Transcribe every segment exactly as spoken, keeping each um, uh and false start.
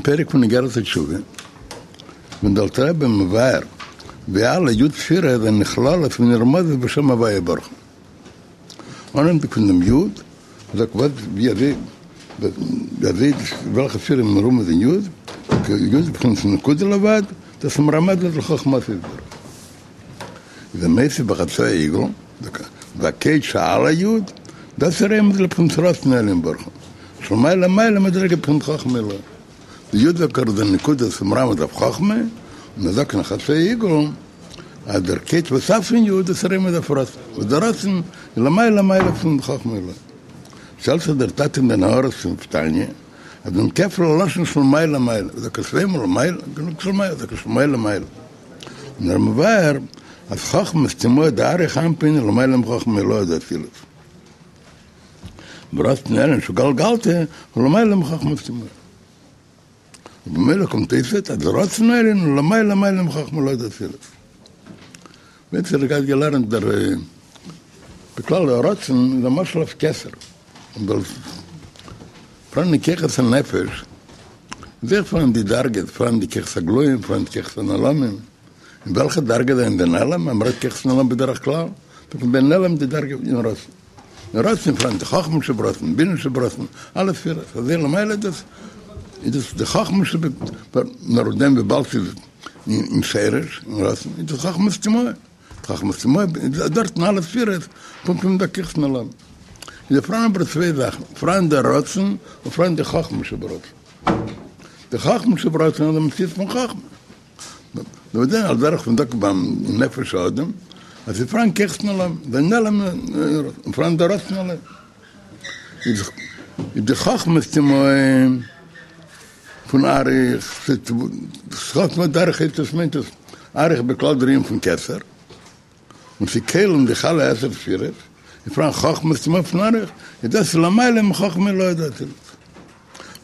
פרק פון אגרת התשובה, ווען דער אלטער רבי מבאר ווי אלע י' ספירות זענען נכללות ונרמזות בשם הוויה ברוך הוא. אנהייבנדיג פון דעם י', זאגט וואס ווי אזוי ווי אזוי וועלכע ספירה איז מרומז אין י', י' איז בחינת נקודה לבד, דאס איז מרמז לחכמתו יתברך. איז ער מוסיף בחצאי עיגול, והקץ שעל היוד, דאס איז רומז לבחינת רצון העליון ברוך הוא, שלמעלה מעלה מדרגה בחינת חכמה עילאה. די יוד זאגט ער איז די נקודה וואס איז מרמז אויף חכמה, און ער זאגט אין חצאי עיגול אז דער קץ וסוף פון יוד דאס איז רומז אויף רצון, וואס דער רצון איז למעלה מעלה פון חכמה עילאה. שטעלט זיך דער טאטע אין די הערות פון תניא אז דעם כפל הלשון שלמעלה מעלה, זאגט ער צוויי מאל למעלה, גענוג שלמעלה, זאגט ער שלמעלה מעלה. און ער מבאר אז חכמה סתימאה דאריך אנפין איז למעלה מחכמה עילאה דאצילות. ורצון עליון שהוא גלגלתא הוא למעלה מחכמה סתימאה. ובמילא קומט אויס אז רצון עליון הוא למעלה מעלה מחכמה עילאה דאצילות. ווען ס'האט געהאט געלערנט דער בכלל דער רצון איז א משל אויף כתר. און דאס פאראן אין כוחות הנפש איז אויך פאראן די דרגות, פאראן די כוחות הגלויים, פאראן די כוחות הנעלמים. אין וועלכע דרגה זענען די נעלם? אז מ'רעדט כוחות נעלם בדרך כלל, זאגט מען בנעלם די דרגה אין רצון. אין רצון פאראן די חכמה שברצון, בינה שברצון, אלע ספירות, אזוי למעלה דאס איז דאס די חכמה שב, נאר דעם וויבאלד ס'איז אין שרש, אין רצון, איז דאס חכמה סתימאה. חכמה סתימאה איז דארטן אלע ספירות פונקט ווי ביי כוחות נעלם. איז פאראן אבער צוויי זאכן, פאראן דער רצון און פאראן די חכמה שברצון. די חכמה שברצון איז די מציאות פון חכמה. נאר דען על דרך פון דאק' ביים נפש האדם אז ס'איז פאראן כוחות נעלם, די נעלם און פאראן דער רצון אליין. איז די חכמה סתימאה פון אריך, חכמה דאריך הייסט עס מיינט עס אריך בכלל דער ענין פון כתר, און ס'איז כולל אין זיך אלע עשר ספירות, איז פאראן חכמה סתימאה פון אריך, איז דאס למעלה מחכמה עילאה דאצילות.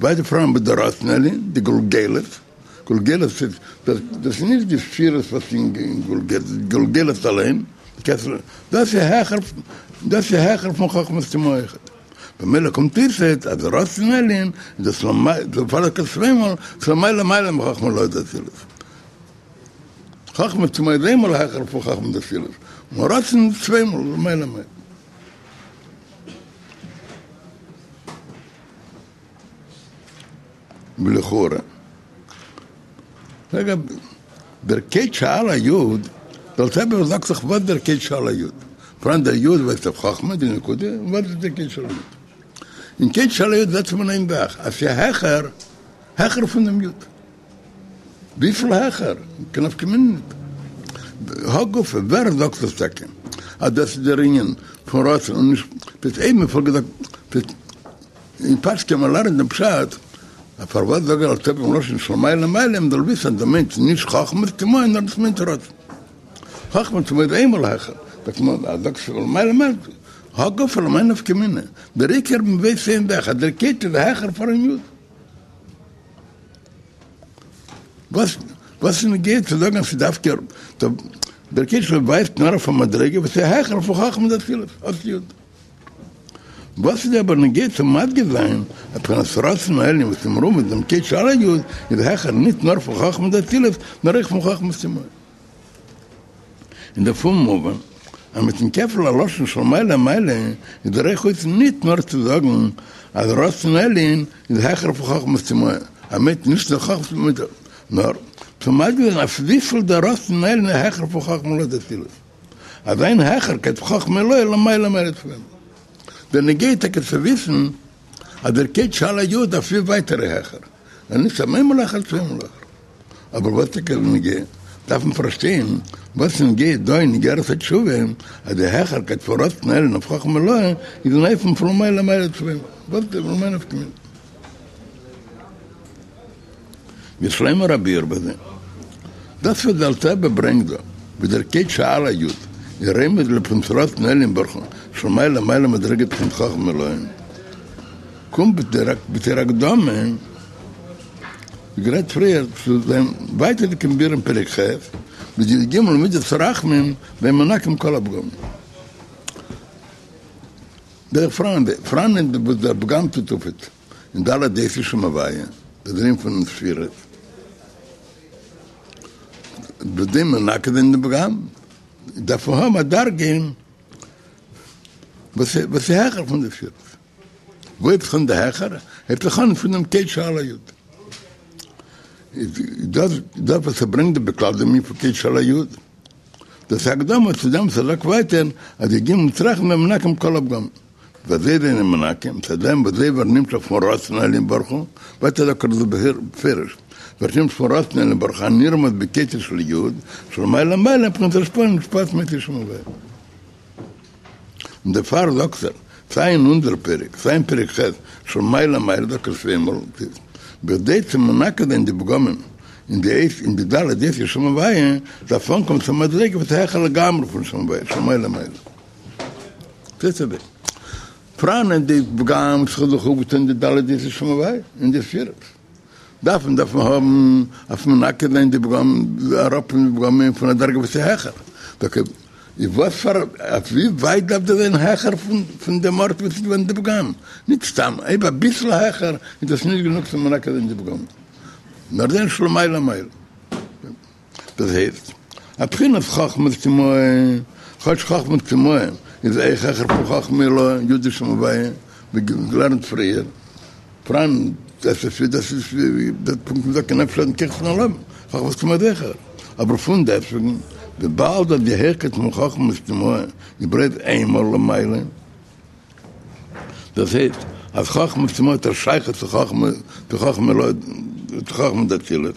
ווייטער פאראן ביי דער רצון עליון, די גולגלת, גולגלת איז, דאס איז נישט די ספירות וואס אין גולגלת, גולגלת אליין, דאס איז העכער, דאס איז העכער פון חכמה סתימאה אויכעט. במילא קומט אויס אז רצון עליון איז דאס למעלה, דערפאר זאגט ער צוויי מאל, ס'למעלה מעלה מחכמה עילאה דאצילות. חכמה סתימאה איז איינמאל העכער פון חכמה דאצילות, און רצון איז צוויי מאל למעלה מעלה. ולכאורה, רגע, דער קץ שעל היוד, דער אלטער רבי זאגט דאך וואס דער קץ שעל היוד, פאראן דער יוד ווייזט אויף חכמה, די נקודה, און וואס איז דער קץ שעל היוד? אין קץ שעל היוד זעט מען איין זאך, אז ס'איז העכער, העכער פון דעם יוד. וויפיל העכער? קיין נפקא מינה ניט. הא גופא, ווער זאגט דאס טאקע אז דאס איז דער ענין פון רצון און נישט דאס אויב מען פאלגט געזאגט אין פשט קען מען לערנען דעם פשט אז פארוואס זאגט דער אלטער רבי לשון שלמעלה מעלה מען זאל וויסן אז דאס מיינט נישט חכמה סתימאה נאר דאס מיינט רצון. חכמה סתימאה איז איינמאל העכער זאגט מען אז זאגסט שלמעלה מעלה הא גופא למאי נפקא מינה דער עיקר מען ווייסט איין זאך אז דער קץ איז העכער פארן יוד. וואס וואס איז נוגע צו זאגן אז ס'איז דווקא דער קץ ווייזט נאר אויף א מדריגה וואס איז העכער פון חכמה דאצילות אות יוד. וואס איז אבער נוגע צו מדגיש זיין אז בחינת רצון העליון וואס איז מרומז דעם קץ שעל היוד איז העכער ניט נאר פון חכמה דאצילות נאר אויך פון חכמה סתימאה. און דערפון מובן אז מיטן כפל הלשון שלמעלה מעלה איז דער אויך אויסן ניט נאר צו זאגן אז רצון עליון איז העכער פון חכמה סתימאה, אז מיינט נישט נאר חכמה סתימאה, נאר צו מדגיש זיין אויף וויפיל דער רצון עליון איז העכער פון חכמה עילאה דאצילות, אז זיין העכערקייט פון חכמה עילאה למעלה מעלה צו אים. דער נוגע טאקע צו וויסן אז דער קץ שעל היוד אויף ווי ווייט ער איז העכער, און נישט אז איינמאל העכער צוויי מאל העכער. אבער וואס טאקע איז נוגע? דארף מען פארשטיין וואס איז נוגע דא אין אגרת התשובה אז די העכערקייט פון רצון עליון אויף חכמה עילאה איז אין אופן פון למעלה מעלה צוויי מאל, וואס איז למאי נפקא מינה? ויש לומר הביאור בזה, דאס וואס דער אלטער רבי ברענגט דא, ווי דער קץ שעל היוד איז רומז לבחינת רצון עליון ברוך הוא שלמעלה מעלה מדרגת בחינת חכמה עילאה, קומט בתור הקדמה, ווי גערעדט פריער, צו זיין ווייטערדיגן ביאור אין פרק ח', מיט די י"ג מידות הרחמים והם מנקים כל הפגמים. דער פראן, פראן וואס דער פגם טוט אויף אין ד' אותיות שם הוויה. דער ענין פון ספירות, בכדי מנקה זיין דעם פגם, דארף מען האבן א דרגה וואס איז העכער פון די ספירות. וואו הייבט זיך אן די העכער? הייבט זיך אן פון דעם קץ שעל היוד. דאס דאס וואס ער ברענגט דא בכלל דעם ענין פון קץ שעל היוד, דאס איז הקדמה צו דעם וואס ער זאגט ווייטער אז די י"ג מידות רחמים זענען מנקים כל הפגמים. ווי אזוי זענען מנקים? מצד דעם וואס זיי ווערן נמשך פון רצון העליון ברוך הוא, ווייטער זאגט ער דאס בפירוש, ווערט נמשך פון רצון העליון ברוך הוא הנרמז בקוצו של יוד, שלמעלה מעלה מבחינת השפעה מושפעת מאותו שם הוויה. און דערפאר זאגט ער, סיי אין אונזער פרק, סיי אין פרק ח' שלמעלה מעלה זאגט ער צוויי מאל, בכדי צו מנקה זיין די פגמים אין די אות אין די ד' אותיות שם הוויה, דארף אנקומען צו א מדריגה וואס איז העכער לגמרי פון שם הוויה, שלמעלה מעלה. זעט אזוי. פראנען די פגם וואס האט זיך אויפגעטון אין די ד' אותיות שם הוויה, אין די ספירות. דארף מען דארף מען האבן אויף מנקה זיין די פגם, אראפנעמען די פגמים פון א דרגה וואס איז העכער. טאקע איז וואס פאר אויף ווי ווייט דארף דאס זיין העכער פון פון דעם ארט וואס איז געווען די פגם? נישט סתם אויב אביסל העכער איז דאס נישט גענוג צו מנקה זיין די פגם, נאר זיין שלמעלה מעלה. דאס הייסט, א בחינת חכמה טמאה, כאטש חכמה טמאה איז אויך העכער פון חכמה עילאה, יו"ד דשם הוויה, ווי געלערנט פריער, פראן דאס איז דאס איז ווי דער פונקט מ'זאגט כי נפש האדם כחות נעלמים, חכמה טמאה איז העכער, אבער פון דעסטוועגן, וויבאלד אז די העכקייט פון חכמה טמאה איז בלויז איינמאל למעלה, דאס הייסט אז חכמה טמאה האט א שייכות צו חכמה צו חכמה עילאה צו חכמה דאצילות.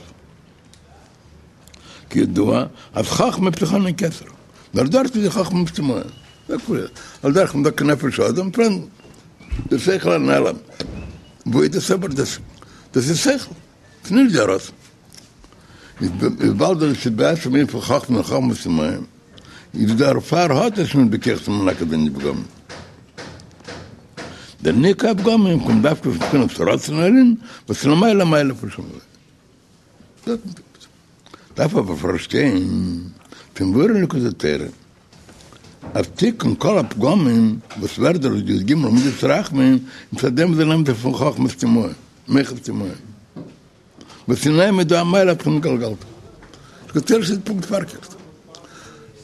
כידוע אז חכמה הייבט זיך אן אין כתר, נאר דארט איז די חכמה טמאה, על דרך מ'זאגט נפש האדם פראן די שכל הנעלם, וואו איז דאס אבער דאס דאס איז שכל, ס'איז נישט די רצון, איז וויבאלד דאס איז בעצם ענין פון חכמה און חכמה טמאה, איז דערפאר האט עס נישט בכח צו מנקה זיין די פגמים. דער ניקוי הפגמים קומט דווקא פון בחינת רצון העליון וואס איז למעלה מעלה פון שם הוויה. דארף אבער פארשטיין כמבואר אין ליקוטי תורה אז תיקון כל הפגמים וואס ווערט דורך די י"ג מידות רחמים מצד דעם וואס זיי נעמען זיך פון חכמה טמאה, מוחין טמאה, וואס אין אים איז דא א מעלה פון גלגלתא. ליקוטי תורה איז פונקט פארקערט.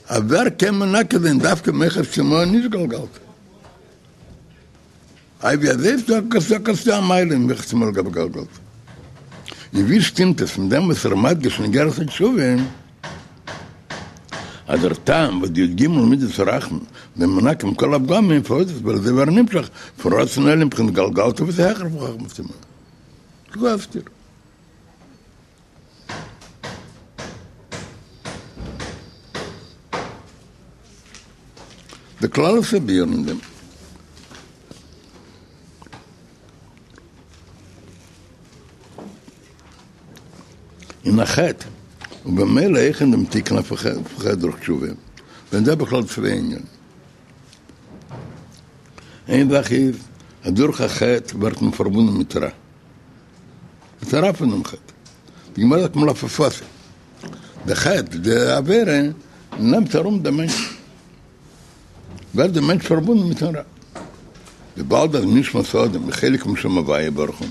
אז ווער קען מנקה זיין דווקא מוחין טמאה נישט גלגלתא? איי ווי אזוי זאגט ער ס'דא א מעלה אין מוחין טמאה לגבי גלגלתא? און ווי שטימט עס מיט דעם וואס ער מדגיש אין אגרת התשובה אז דער טעם וואס די י"ג מידות הרחמים זענען מנקים כל הפגמים פארוואס ווייל זיי ווערן נמשך פון רצון העליון בחינת גלגלתא וואס איז העכער פון חכמה טמאה? דו האסט דיר. די כללות הביאור אין דעם. אין א חטא, ובמילא אויך אין דעם תיקון אויפן חטא דורך תשובה, זענען דא בכלל צוויי ענינים. איין זאך איז, אז דורך א חטא ווערט מען פארבונדן מיט רע. מיטן רע פון דעם חטא. די גמרא זאגט מלפפתים. די חטא, די עבירה, נעמט ארום דעם מענטש. ווערט דער מענטש פארבונדן מיטן רע. וויבאלד אז נשמת האדם איז חלק משם הוויה ברוך הוא,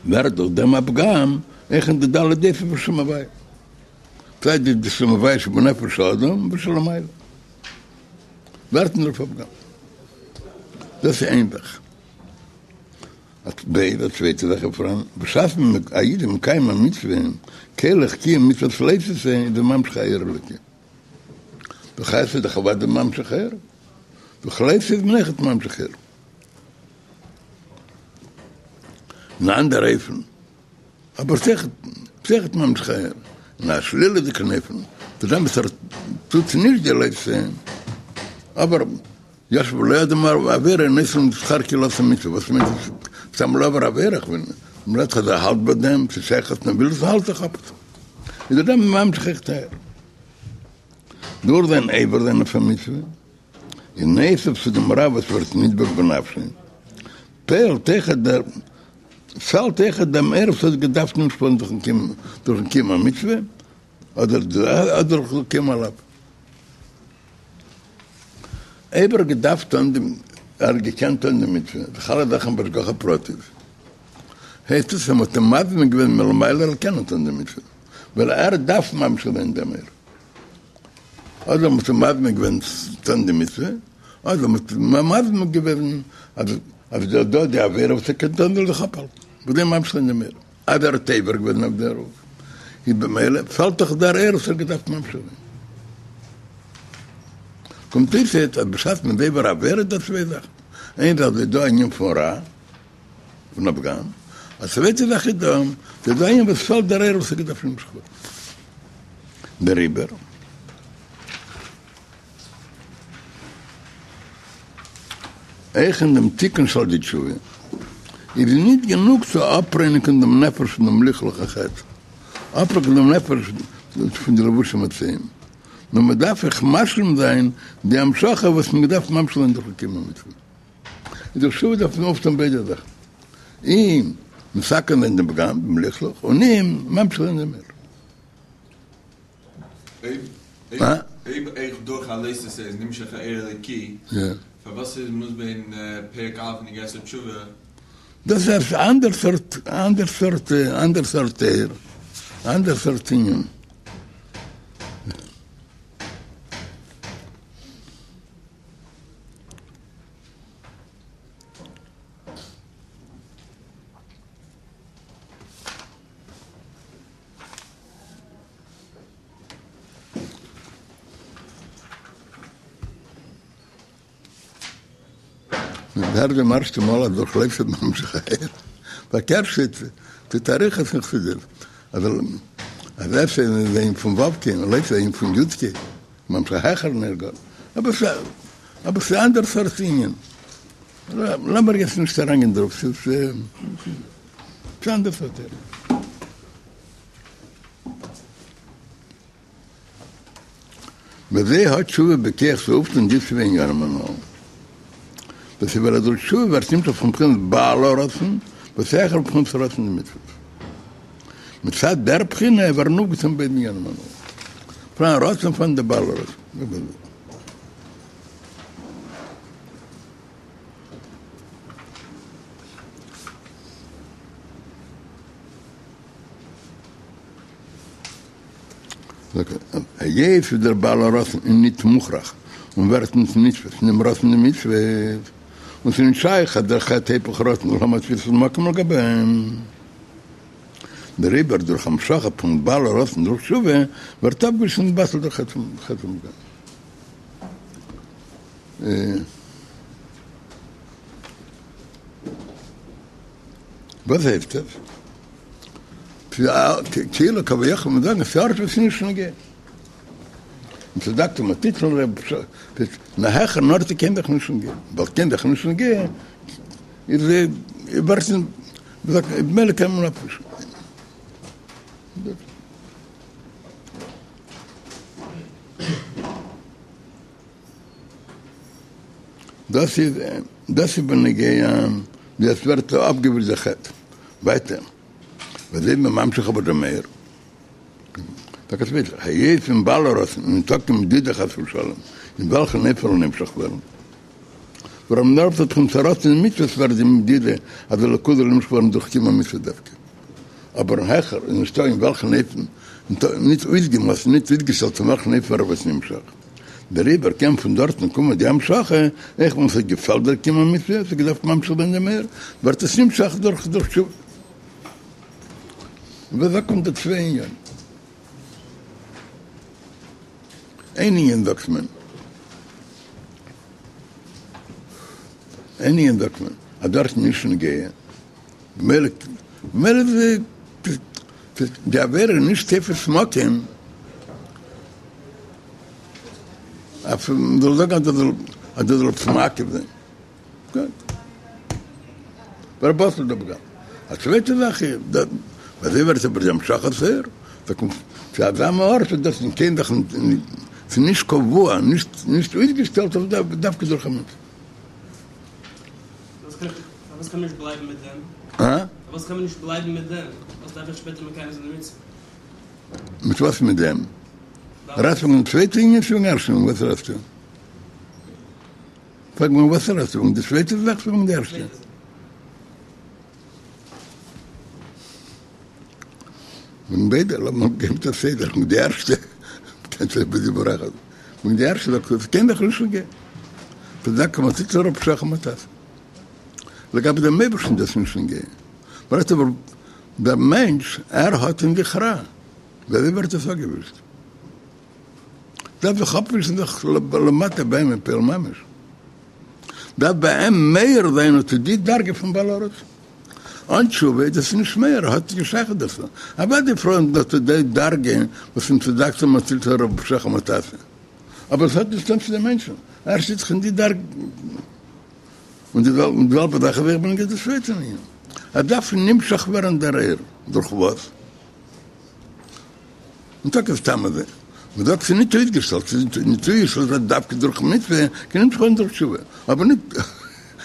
ווערט דורך דעם א פגם אויך אין די ד' אותיות פון שם הוויה. סיי די שם הוויה שבנפש האדם ושלמעלה. ווערט אין דערויף א פגם. דאס איז איין זאך. ב. א צווייטע זאך איז פאראן, בשעת א איד איז מקיים א מצוה, כולל קיום מצוות לא תעשה, איז ער ממשיך א אור אלוקי. דורך עשה איז דאך אוודאי ממשיך אור, דורך לא תעשה איז מען אויכעט ממשיך אור. אין אן אנדער אופן, אבער ס'אויכעט ממשיך אור, אין א שלילה'דיגן אופן, דורך דעם וואס ער טוט נישט די לא תעשה, אבער ישב ולא אדם עבירה נותנין לו שכר כאילו עשה מצוה, וואס מיינט עס סתם לא עבר עבירה, כ'בין מ'רעדט אז ער האלט ביי דעם, ס'איז שייך אז מ'וויל עס האלט זיך אפ, איז דער דעם ממשיך אויכעט אור. דורך זיין עובר זיין אויף א מצוה, איז נוסף צו דעם רע וואס ווערט נדבק בנפשו, פעלט אויכעט דער פעלט אויכעט דעם אור וואס האט געדארפט נמשך ווערן דורכן קיום דורכן קיום המצוה, אדער דורכן קיום הלאו. אויב ער האט געדארפט טון די, ער האט געקענט טון די מצוה, דאך אלע זאכן בהשגחה פרטית, הייסט עס אז מ'האט אים מזמין געווען מלמעלה ער זאל קענען טון די מצוה, ווייל ער דארף ממשיך זיין דעם אור. אדער מ'האט אים מזמין געווען טון די מצוה, אדער מ'האט אים מזמין געווען אז אז דא דא די עבירה וואס ער קען טון זאל זיך אפהאלטן, בכדי ממשיך זיין דעם אור. אז ער האט עובר געווען אויף דערויף, איז במילא פעלט דאך דער אור וואס ער האט געדארפט ממשיך זיין. קומט אויס אז בשעת מ'איז עובר עבירה איז דא צוויי זאכן, איין זאך איז דא א ענין פון רע, פון א פגם, א צווייטע זאך איז דא, ס'איז דא א ענין וואס פעלט דער אור וואס האט געדארפט נמשך ווערן. דעריבער. אויך אין דעם תיקון שעל ידי תשובה איז ניט גענוג צו אפרייניגן דעם נפש פון דעם לכלוך החטא, אפרייניגן דעם נפש פון די לבושים מצויים, נאר מען דארף אויך משלים זיין די המשכה וואס מען דארף ממשיך זיין דורך קיום המצוה. איז דורך תשובה דארף מען אויפטון ביידע זאכן, אי מתקן זיין דעם פגם, דעם לכלוך, און אי ממשיך זיין דעם אור. אויב אויך דורך א לא תעשה איז נמשך א אור אלוקי, פארוואס איז מוסבר אין פרק א' אין אגרת התשובה? דאס איז א אנדער סארט, אנדער סארט, אנדער סארט אור, אנדער סארט ענין. מען הערט דעם ערשטע מאל אז דורך לא תעשה איז ממשיך אור, פארקערט שטייט טוט אריכות אין חסידות אז אז עשה איז ענין פון ו' קי און לא תעשה ענין פון י' קי, ממשיך העכערן אור גאר, אבער אבער ס'איז אנדערע סארט ענין, לאמיר יעצט נישט אריינגיין דערויף, ס'איז אנדערע סארט אור. ווי אזוי האט תשובה בכח צו אויפטון די צוויי עניינים הנ"ל. דאס איז ווייל דורך תשובה ווערט נמשך פון בחינת בעל הרצון וואס איז העכער מבחינת רצון דמצוות. מצד דער בחינה ווערן אויפגעטון ביידע עניינים הנ"ל. פאראן רצון פאראן דער בעל הרצון. היות ווי דער בעל הרצון איז ניט מוכרח און ווערט ניט נתפס אין דעם רצון דמצוות, און ס'איז ניט שייך אז דער חטא היפך רצון זאל האבן א תפיסת מקום לגבי אים. דעריבער דורך המשכה פון בעל הרצון דורך תשובה ווערט אפגעווישט און נתבטל דער חטא פון פגם. וואס הייסט עס? כאילו כביכול מען זאגן ס'ארט וואס איז נישט נוגע. און צדקת מתית ל נאר העכערן ארט קיין זאך נישט נוגע. ווייל קיין זאך נישט נוגע איז ווערט במילא קען מען אפווישן. דאס איז דאס איז בנוגע ווי עס ווערט אפגעווישט דער חטא. ווייטער ווי אזוי איז מען ממשיך אבער דעם אור. טאקע צווייטער, היות אין בעל הרצון איז ניטא קיין מדידה חס ושלום אין וועלכן אופן ער זאל נמשך ווערן. ווארום נאר מצד בחינת הרצון אין מצוות ווערט די מדידה אז אלוקות זאל נמשך ווערן דורך קיום המצוות דווקא. אבער העכער איז נישטא אין וועלכן אופן, ניט אויסגעמאסטן, ניט אויסגעשטעלט אין וועלכן אופן ער ווערט נמשך. דעריבער קען פון דארטן קומען די המשכה, אויך ווען ס'האט געפעלט דער קיום המצוה, ס'האט געדארפט ממשיך זיין דעם אור, ווערט עס נמשך דורך דורך תשובה. ווי אזוי קומט די צוויי ענינים? איין ענין זאגט מען, איין ענין זאגט מען, אז דארט איז נישט נוגע, במילא במילא איז די עבירה נישט תופס מקום אויף מ'זאל זאגן אז דאס זאל אז דאס זאל עפעס מעכב זיין. גוט. ווער בטל דער פגם. א צווייטע זאך איז ווי אזוי ווערט אבער די המשכת האור, דא קומט צו אזא מין ארט אז דאס קען זיך ס'איז נישט קבוע, נישט נישט אויסגעשטעלט אויף דווקא דורך א מצוה. פארוואס קען מען נישט בלייבן מיט דעם? הא? פארוואס קען מען נישט בלייבן מיט דעם? פארוואס דארף איך שפעטער מקיים זיין די מצוה? מיט וואס מיט דעם? רעדסט פון די צווייטע ענין צו פון ערשטן ענין? וואס רעדסטו? פרעג מיר וואס רעדסטו פון די צווייטע זאך צו פון די ערשטע? וועגן ביידע, לאמיר גיין מיט א סדר, וועגן די ערשטע, קענסט אויך בדיבור אחד, וועגן די ערשטע זאגסטו עס קען דאך נישט נוגע, צדקת מה תצא רוב פשעיך מה תעשה. לגבי דעם אייבערשטן איז דאס נישט נוגע, מ'רעדט אבער דער מענטש, ער האט אין זיך רע, ווי אזוי ווערט עס אפגעווישט? דארף זיך אפווישן זיך למטה ביי אים אין פועל ממש, דארף ביי אים מאיר זיין אט די דרגה פון בעל הרצון. אן תשובה איז דאס נישט מאיר, האט נישט קיין שייכות דערצו. אוודאי פאראן אט די דרגה וואס אם צדקת מצלת רוב פשעיך מה תעשה. אבער עס האט נישט צוטון צו דעם מענטשן, ער שטייט זיך אין די דרגה. און די זעלבע זאך איז אויך בנוגע די צווייטע ענין. עס דארף נמשך ווערן דער אור. דורך וואס? און טאקע סתם אזוי, מען זאגט ס'איז נישט אויסגעשטעלט, ס'איז נישט אויסגעשטעלט אז דווקא דורך מצוה קען נמשך ווערן דורך תשובה, אבער נישט,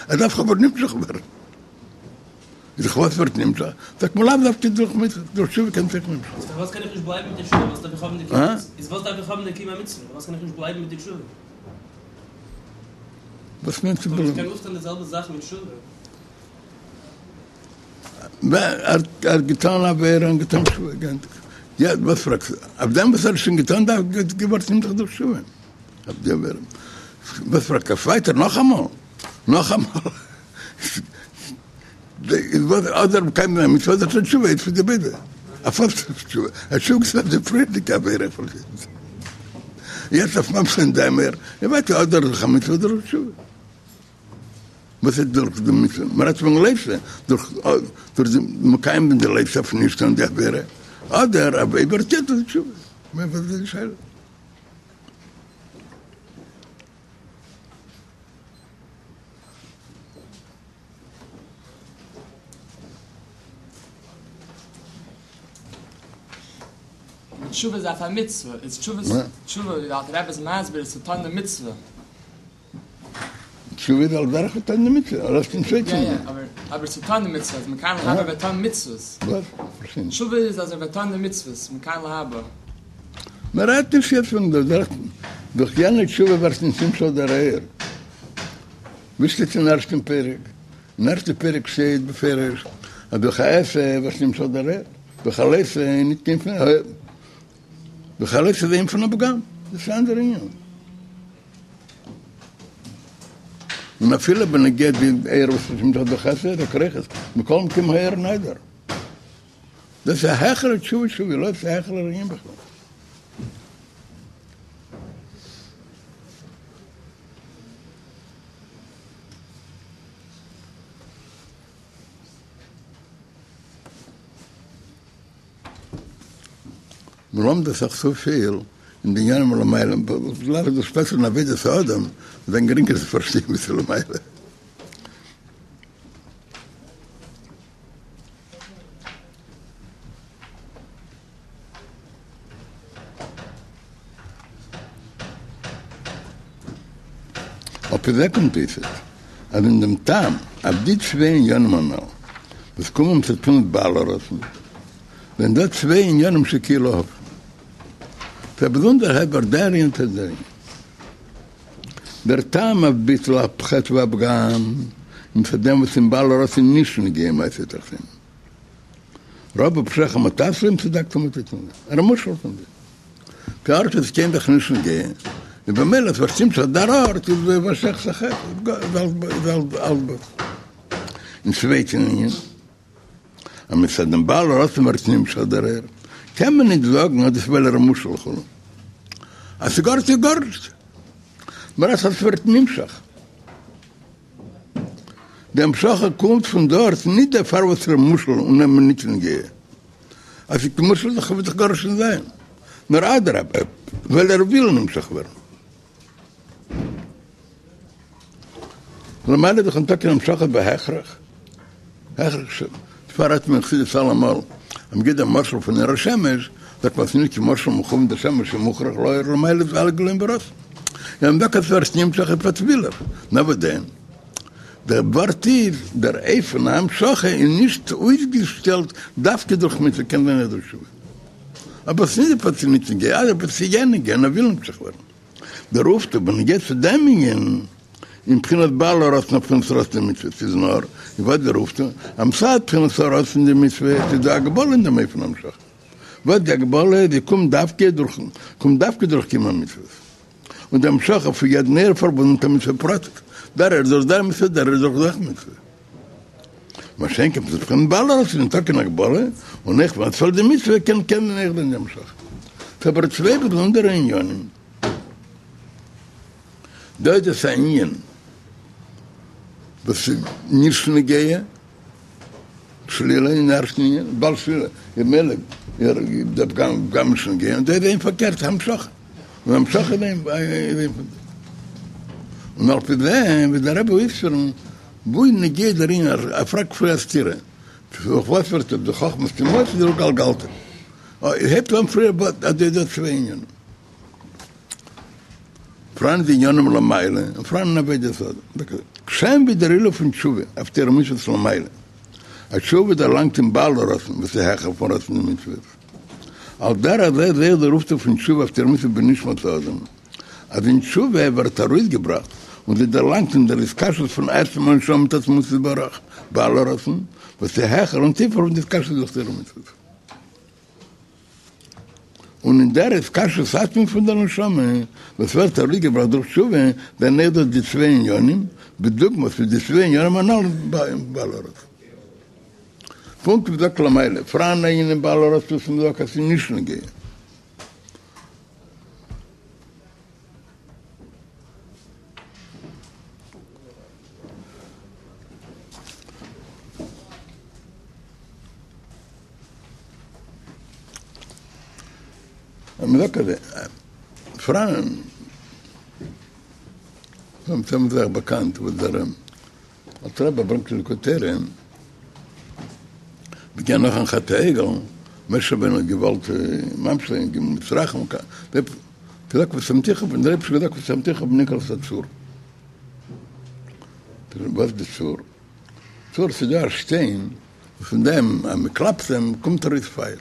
עס דארף אבער נמשך ווערן. דורך וואס ווערט נמשך? זאגט מען לאו דווקא דורך מצוה, דורך תשובה קען אויך נמשך ווערן. איז פארוואס קען איך נישט בלייבן מיט די תשובה? וואס דארף איך האבן די קיום המצוה? איז וואס דארף איך האבן די קיום המצוה? פארוואס קען איך נישט בלייבן מיט די תשובה? וואס מיינט צו איך בלייבן? קען אויפטון די זעלבע זאך מיט תשובה. ער האט געטאן א עבירה און געטאן תשובה, געענדיגט. יעצט וואס פרעגסטו? אויף דעם וואס ער האט שוין געטאן דארף געווארט נמשך דורך תשובה. אויף די עבירה. וואס פרעגסטו אויף ווייטער נאכאמאל? נאכאמאל? אדער מקיים זיין א מצוה אדער טון תשובה, איינס פון די ביידע. אויף וואס תשובה? ער האט תשובה געטון אויף די פריערדיגע עבירה. יעצט אויף ממשיך זיין דעם אור, און ווייטער אדער דורך א מצוה אדער דורך תשובה. וואס איז דורך די מצוה? מען רעדט פון לא תעשה, דורך דורך די מקיים זיין די לא תעשה אויף נישט טון די עבירה, אדער אויב ער טוט עס תשובה. וואס איז די שאלה? תשובה איז אויף א מצוה, איז תשובה תשובה ווי דער אלטער רבי איז מסביר איז צו טון די מצוה. תשובה איז על דרך טון די מצוה, אדער אויף דעם צווייטן יא יא, ענין. אבער אבער צו טון די מצוה, אז מכאן להבא וועט טון מצוות. וואס? פארשטיי נישט. תשובה איז אז ער וועט טון די מצוות, מכאן להבא. מען רעדט נישט יעצט פון דער דרך, דורך יענע תשובה ווערט נישט נמשך דער אור. ווי שטייט אין ערשטן פרק? אין ערשטן פרק שטייט בפירוש אז דורך א עשה ווערט נמשך דער אור, דורך א לא תעשה איז נישט קיין פון דורך א לא תעשה איז ענין פון א פגם, דאס איז א אנדערע ענין. און אפילו בנוגע די אור וואס איז נמשך דורך עשה, זאגט ער אויכעט, מכל מקום האור נעדר. דאס איז א העכערע תשובה תשובה, לא איז א העכערע ענין בכלל. מ'לומד אסאך צופיל אין די עניינים למעלה, לאו דאס שפעטער אין עבודת האדם וועט זיין גרינגער צו פארשטיין ווי ס'איז למעלה. על פי זה קומט אויס אז אין דעם טעם אויף די צוויי עניינים הנ"ל וואס קומען מצד בחינת בעל הרצון, זענען דא צוויי עניינים שכאילו הפכיים. ס'איז א באזונדערע הסבר דער ענין צו דער ענין. דער טעם אויף ביטול החטא והפגם איז מצד דעם וואס אין בעל הרצון נישט נוגע מעשה תחתונים. רבו פשעיך מה תעשה אם צדקת מה תתן ער איז מושלל פון דעם. די ארט איז קיין זאך נישט נוגע, און במילא איז פארשטימט אז דער ארט איז וואס שייך צו חטא איז אלץ בטל. אין צווייטן ענין, אז מצד דעם בעל הרצון ווערט נמשך דער אור, קען מען נישט זאגן אז דאס ווייל ער איז מושלל וכו'. אז ס'גארנישט איז גארנישט. נאר אז ס'ווערט נמשך. די המשכה קומט פון דארט, נישט דערפאר וואס ער איז מושלל און אים נישט נוגע. אז ס'איז מושלל דאך וועט דאך גארנישט נישט זיין. נאר אדרבה, ווייל ער וויל נמשך ווערן. למעלה איז דאך ניטא קיין המשכה בהכרח. הכרח ש. דערפאר רעדט מען אין חסידות אלעמאל, אז מ'גיט דעם משל פון אור השמש, זאגט מען אז ס'איז נישט קיין משל מכוון דער שמש איז מוכרח להאיר למעלה איז אלע גילויים ברצון. און מ'זאגט אז ס'ווערט נמשך איז פארט וויל ער. נאר וואס דען? דער ווארט איז, דער אופן ההמשכה איז נישט אויסגעשטעלט דווקא דורך מצוה, קען זיין אויך דורך תשובה. אבער ס'איז נישט דערפאר ס'איז נישט נוגע, אדרבה ס'איז יא נוגע און ער וויל נמשך ווערן. דער אויפטו בנוגע צו דעם ענין אין בחינת בעל הרצון אויף בחינת רצון דמצוות איז נאר, איז וואס דער אויפטו, אז מצד בחינת הרצון דמצוות איז דא הגבלה אין דעם אופן המשכה, וואס די הגבלה זי קומט דווקא דורך קומט דווקא דורך קיום המצוות. און די המשכה פון יעדן אור פארבונדן מיט א מצוה פרטית, דער אור דורך דער מצוה, דער אור דורך דער מצוה. מה שאין כן בבחינת בעל הרצון ניטא קיין הגבלה, און אויך ווען עס פעלט די מצוה קען קען אויך זיין די המשכה. ס'איז אבער צוויי באזונדערע עניינים. דא איז עס א ענין וואס איז נישט נוגע, שלילה אין ערשטן ענין, בעל שלילה איז ממילא דער פגם פגם נישט נוגע, און דא איז ענין פארקערט המשכה, און המשכה איז ענין פון דעם. און על פי זה וועט דער רבי אויספירן וואו איז נוגע דער ענין, ער פרעגט פריער א סתירה, דורך וואס ווערט די חכמת טמאות דורך גלגלתא? הייבט אן פריער אז דא איז דא צוויי ענינים. פראן די עניינים למעלה און פראן אין עבודת האדם. כשם ווי דער עילוי פון תשובה אויף תורה ומצוות למעלה, אז תשובה דערלאנגט אין בעל הרצון וואס איז העכער פון רצון המצוות, על דרך זה איז אויך דער אויפטו פון תשובה אויף תורה ומצוות בנשמת האדם, אז אין תשובה ווערט ארויסגעבראכט און זי דערלאנגט אין דער התקשרות פון עצם הנשמה מיט עצמות יתברך, בעל הרצון, וואס איז העכער און טיפער פון די התקשרות דורך תורה ומצוות. און אין דער התקשרות עצמית פון דער נשמה, וואס ווערט ארויסגעבראכט דורך תשובה, זענען אויך דא די צוויי עניינים, בדוגמת ווי די צוויי עניינים הנ"ל אין בעל הרצון. פונקט ווי מ'זאגט למעלה, פראן אן ענין אין בעל הרצון וואס מ'זאגט אז ס'איז נישט נוגע. אז מ'זאגט אז פראן ס'איז זייער באקאנט וואס דער אלטער רבי ברענגט אין ליקוטי תורה בנוגע נאכן חטא העגל, משה רבינו האט געוואלט ממשיך זיין אין מצרים, געזאגט ושמתיך, דער אייבערשטער האט געזאגט ושמתיך בנקלת הצור, וואס איז די צור? צור ס'איז דא א שטיין וואס פון דעם אז מען קלאפט אים קומט ארויס פייער.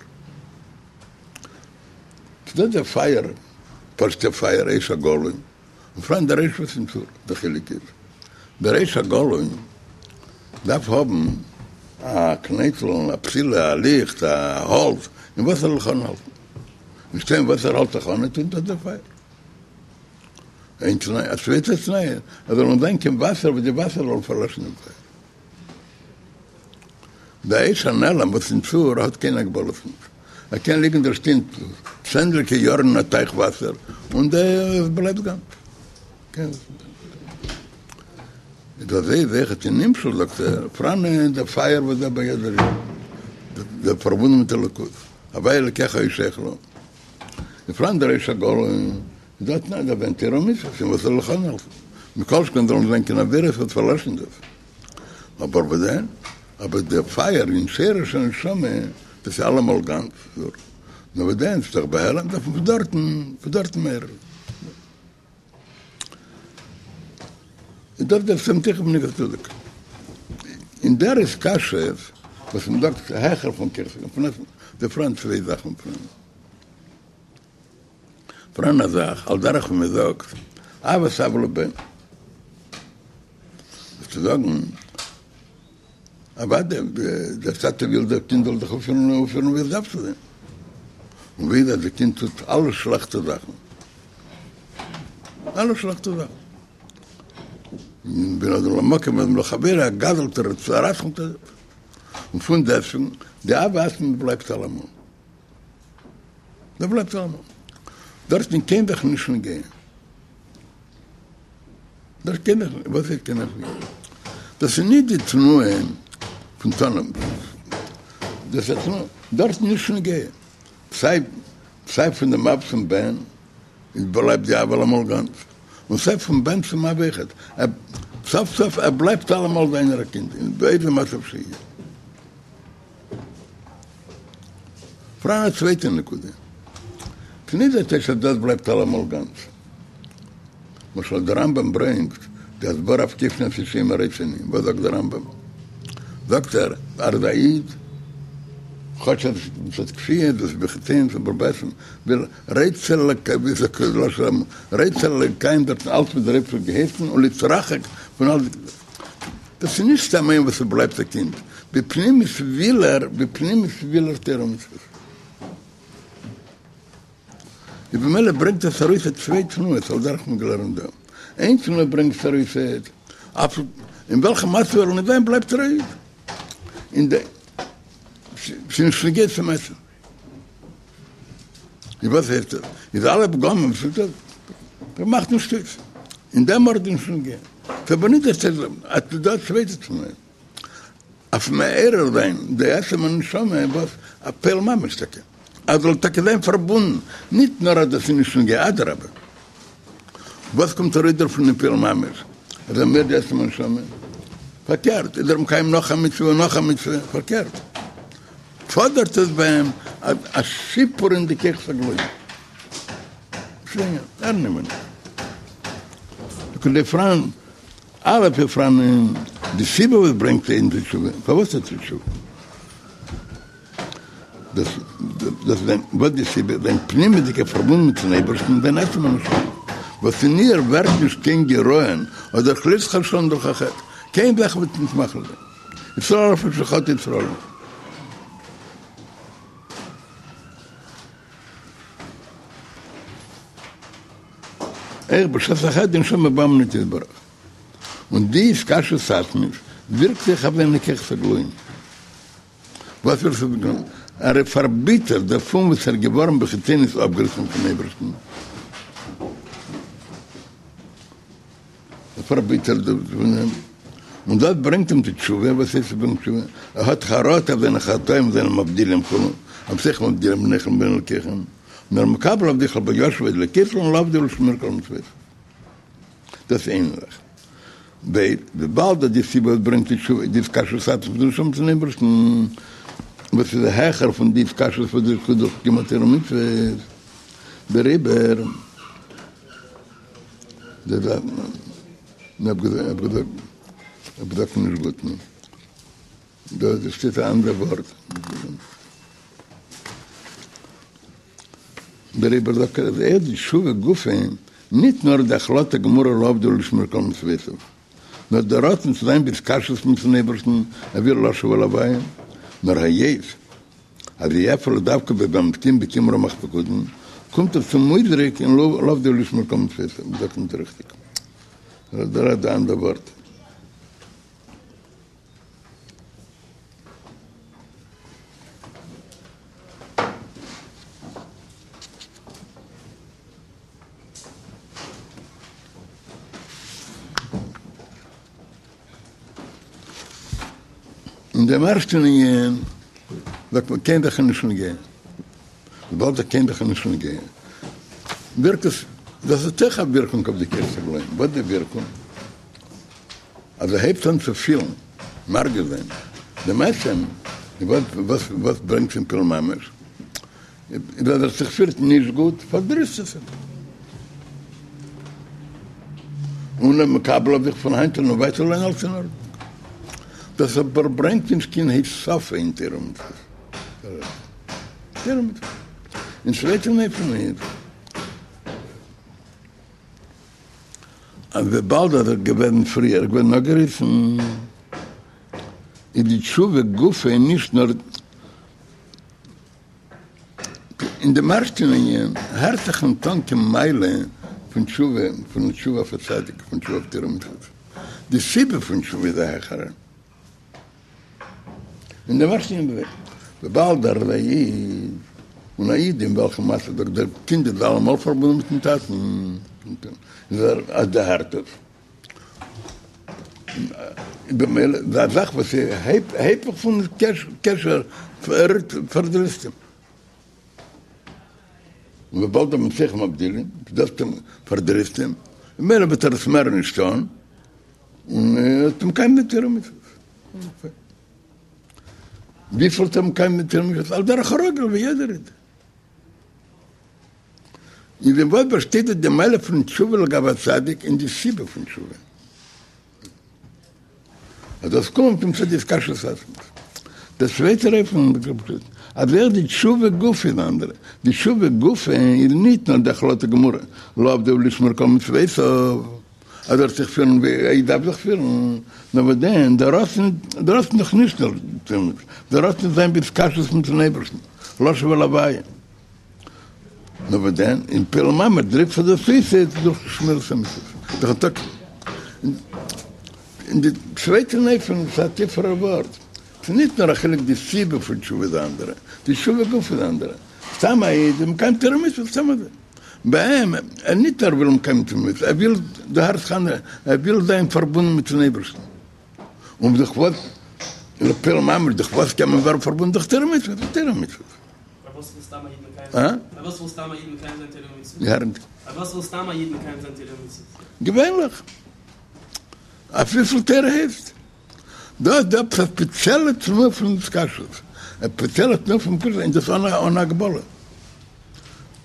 ס'איז דא דער פייער, פשוט'ע פייער, אש הגלוי, און פראן דער אש וואס אין צור, דער חילוק איז, דער אש הגלוי דארף האבן א קנייטל, א פתילה, א ליכט, א האלץ, אין וואס ער זאל זיך אנהאלטן. א שטיין וואס ער האלט זיך אן, צינדט אן דער פייער. איין תנאי, א צווייטע תנאי, אז זאל נישט זיין קיין וואסער וואס די וואסער זאל פארלעשן דעם פייער. די אש הנעלם וואס אין צור האט קיין הגבלות נישט, ער קען ליגן דער שטיין צענדליגע יארן אין א טייך וואסער און עס בלייבט גאנץ. איז אזוי איז אויכעט אין נמשל זאגט ער, פראן דער פייער וואס דא ביי יעדער איד, דער פארבונדן מיט אלוקות, הוי' אלקיך ישכ לו, און פראן דער אש הגלוי איז דא א תנאי דארף זיין תורה ומצוות אין וואס זאל זיך אנהאלטן, מכל שכן זאל נישט זיין קיין עבירות וואס פארלעשן דאס. אבער וואס דען? אבער דער פייער אין שורש הנשמה, דאס איז אלעמאל גאנץ, נאר וואס דען, ס'איז דאך בהעלם, דארף מען פון דארטן, פון דארטן מעורר. איז דאס דער ושמתיך בנקלת הצור. אין דער התקשרות וואס מען זאגט העכער פון כחות, פון עצם, דא פראן צוויי זאכן פראן. פראן א זאך, על דרך ווי מען זאגט, אהבת אב לבן. וואס צו זאגן, אוודאי, דער טאטע וויל דער קינד זאל זיך אויפפירן אויפפירן ווי עס דארף צו זיין. און ווי איז אז די קינד טוט אלע שלעכטע זאכן? אלע שלעכטע זאכן. בין אדם למקום בין אדם לחבירו, ער גזל'ט ער רצח'נט און פון דעסטוועגן, די אהבה עצמית בלייבט אלעמאל. דאס בלייבט אלעמאל. דארטן קען זיך נישט נוגע. דאס קען איך נישט, וואס הייסט קען איך נישט? דאס איז נישט די תנועה פון טון, דאס איז א תנועה, דארט נישט נוגע, סיי סיי פון דעם אב צום בן איז בלייבט די אהבה אלעמאל גאנץ, און סיי פון בן צום אב אויכעט, סוף סוף ער בלייבט אלעמאל זיינער א קינד, אין באיזה מצב שיהיה. פאראן א צווייטע נקודה. ס'נישט דער טייטש אז דאס בלייבט אלעמאל גאנץ. למשל דער רמב"ם ברענגט די הסברה אויף כופין אותו שאומר רוצה אני. וואס זאגט דער רמב"ם? זאגט ער אז א איד, כאטש אז עס איז כפייה, דאס איז בחיצוניות אבער בעצם וויל רוצה לקיים, ווי זאגט לשון הרמב"ם, רוצה לקיים דארטן אלץ וואס דער אייבערשטער האט געהייסן און להתרחק פון אלץ. דאס איז נישט סתם איינער וואס ער בלייבט א קינד, בפנימיות וויל ער, בפנימיות וויל ער תורה ומצוות. איז במילא ברענגט עס ארויס א צוויי תנועות על דרך מ'האט געלערנט דא. איין תנועה ברענגט עס ארויס אויף אין וועלכע מצב ער זאל נישט זיין בלייבט ער א איד. אין די ס'איז נישט נוגע צום עצם. איז וואס הייסט עס? איז אלע פגמים וואס איז דאס? דאס מאכט נישט אויס. אין דעם ארט איז נישט נוגע. ס'איז אבער נישט דער סדר. אז ס'איז דא א צווייטע תנועה. אויף מעורר זיין די עצם הנשמה וואס א פועל ממש טאקע. אז זאל טאקע זיין פארבונדן, ניט נאר אז דאס איז נישט נוגע, אדרבה. וואס קומט ארויס דערפון אין פועל ממש? אז ער מעורר די עצם הנשמה. פארקערט, איז ער מקיים נאך א מצוה און נאך א מצוה, פארקערט. פאדערט עס ביי אים א שיפור אין די כוחות הגלויים. פאראן א' איז פאראן די סיבה וואס ברענגט אים צו תשובה, פארוואס טוט ער תשובה? דאס דאס וואס די סיבה, זיין פנימיות'דיגע פארבונד מיט'ן אייבערשטן, זיין עצם הנשמה, וואס אין איר ווערט נישט קיין גירעון אדער חלילה חס ושלום דורך א חטא, קיין זאך וועט נישט מאכיל זיין ישראל אף על פי שחטא ישראל. אויך בשעת החטא די נשמה באה מאיתו יתברך. און די התקשרות עצמית ווירקט זיך אויף זיינע כוחות הגלויים. וואס ווערט פארבונדן? ער איז פארביטערט דערפון וואס ער איז געווארן בחיצוניות אפגעריסן פון אייבערשטן. ער פארביטערט דערפון, און דאס ברענגט אים צו תשובה. וואס הייסט עס ברענגט תשובה? ער האט חרטה אויף זיינע חטאים וואס זענען מבדילים כו', המתיכם מבדילים ביניכם לבין אלקיכם, נאר מקבל אויף זיך לבל ישוב עוד לכסלון לעבדו ולשמור כל מצוותיו. דאס איז איין זאך. ב. וויבאלד אז די סיבה וואס ברענגט צו תשובה איז די התקשרות עצמית פון נשמה צום אייבערשטן, וואס איז העכער פון די התקשרות וואס איז דורך קיום התורה ומצוות, דעריבער האב געזאגט נישט גוט, דא שטייט א אנדער ווארט. דעריבער זאגט ער אז אויך די תשובה גופא, ניט נאר די החלטה גמורה לעבדו ולשמור כל מצוותיו, נאר דער רצון צו זיין בהתקשרות מיטן אייבערשטן אויף לשוב אל הוויה, נאר היות אז היא אפילו דווקא בממתקים בקיום רמ"ח פקודים, קומט עס צום אויסדרוק אין לעבדו ולשמור כל מצוותיו, זאגט ניט ריכטיג, דער האט די אנדער ווארט. אין דעם ערשטן ענין זאגט מען קיין זאך איז נישט נוגע, וויבאלד אז קיין זאך איז נישט נוגע ווירקט עס, דאס האט אויך א ווירקונג אויף די כוחות הגלויים, וואס די ווירקונג? אז ער הייבט אן צו פילן, מרגיש זיין, דעם עצם, וואס וואס ברענגט אין פועל ממש, איז אז ער זיך פירט נישט גוט, פארדריסט עס אים. און ער מקבל אויף זיך פון היינט און ווייטער זאל זיין אלץ אין ארדענונג. דאס אבער ברענגט נישט קיין הוספה אין תורה ומצוות. תורה ומצוות. אין צווייטן אופן איז. אז וויבאלד אז ער איז געווען פריער איז געווען אפגעריסן, איז די תשובה גופא נישט נאר אין דעם ערשטן ענין, הערט זיך ניט אן קיין מעלה פון תשובה, פון תשובה אויף א צדיק, פון תשובה אויף תורה ומצוות, די סיבה פון תשובה איז א העכערע. אין דעם ערשטן ענין וויבאלד ער איז א איד, און א איד אין וועלכן מצב דער דער קינד איז אלעמאל פארבונדן מיטן טאטן, איז ער אז דערהערט עס, במילא איז א זאך וואס איז היפך פון קשר פארדריסט אים. און וויבאלד המסכים מבדילים, דאס פארדריסט אים, ממילא וועט ער עס מער נישט טון. און ער האט מקיים די תורה ומצוות. וויפיל האט ער מקיים די תורה ומצוות? על דרך הרגיל ווי יעדער איד. אין דעם וואס באשטייט די מעלה פון תשובה לגבי א צדיק אין די סיבה פון תשובה. אז דאס קומט מצד די התקשרות עצמית. דער צווייטער אופן אז אויך די תשובה גופא איז אנדערע. די תשובה גופא איז ניט נאר די החלטה גמורה לעבדו ולשמור כל מצוותיו. אז ער וועט זיך פירן ווי א איד דארף זיך פירן, נאר וואס דען, דער רצון, דער רצון איז דאך נישט נאר דער רצון זיין בהתקשרות מיטן אייבערשטן, לשוב אל הוויה, נאר וואס דען, אין פועל ממש דריקט זיך דאס אויס דורך שמירת המצוות. דורכן טאג. אין די צווייטע אופן איז א טיפערע ווארט. ס'איז נישט נאר א חילוק די סיבה פון תשובה איז א אנדערע, די תשובה גופא איז א אנדערע. סתם א איד איז מקיים תורה ומצוות סתם אזוי. ביי אים, ער נישט נאר וויל מקיים תורה ומצוות, ער וויל די הארץ חנה, ער וויל זיין פארבונדן מיטן אייבערשטן. און דורך וואס, לפועל ממש, דורך וואס קען מען ווערן פארבונדן דורך תורה ומצוות, תורה ומצוות. פארוואס וויל סתם א איד מקיים זיין? פארוואס וויל סתם א איד מקיים זיין תורה ומצוות? פארוואס וויל סתם א איד מקיים זיין תורה ומצוות? געווענליך. אויף וויפיל תורה הייסט. דא איז דא עפעס א ספעציעלע תנועה פון התקשרות, א ספעציעלע תנועה פון קשר, און דאס אן הגבלה.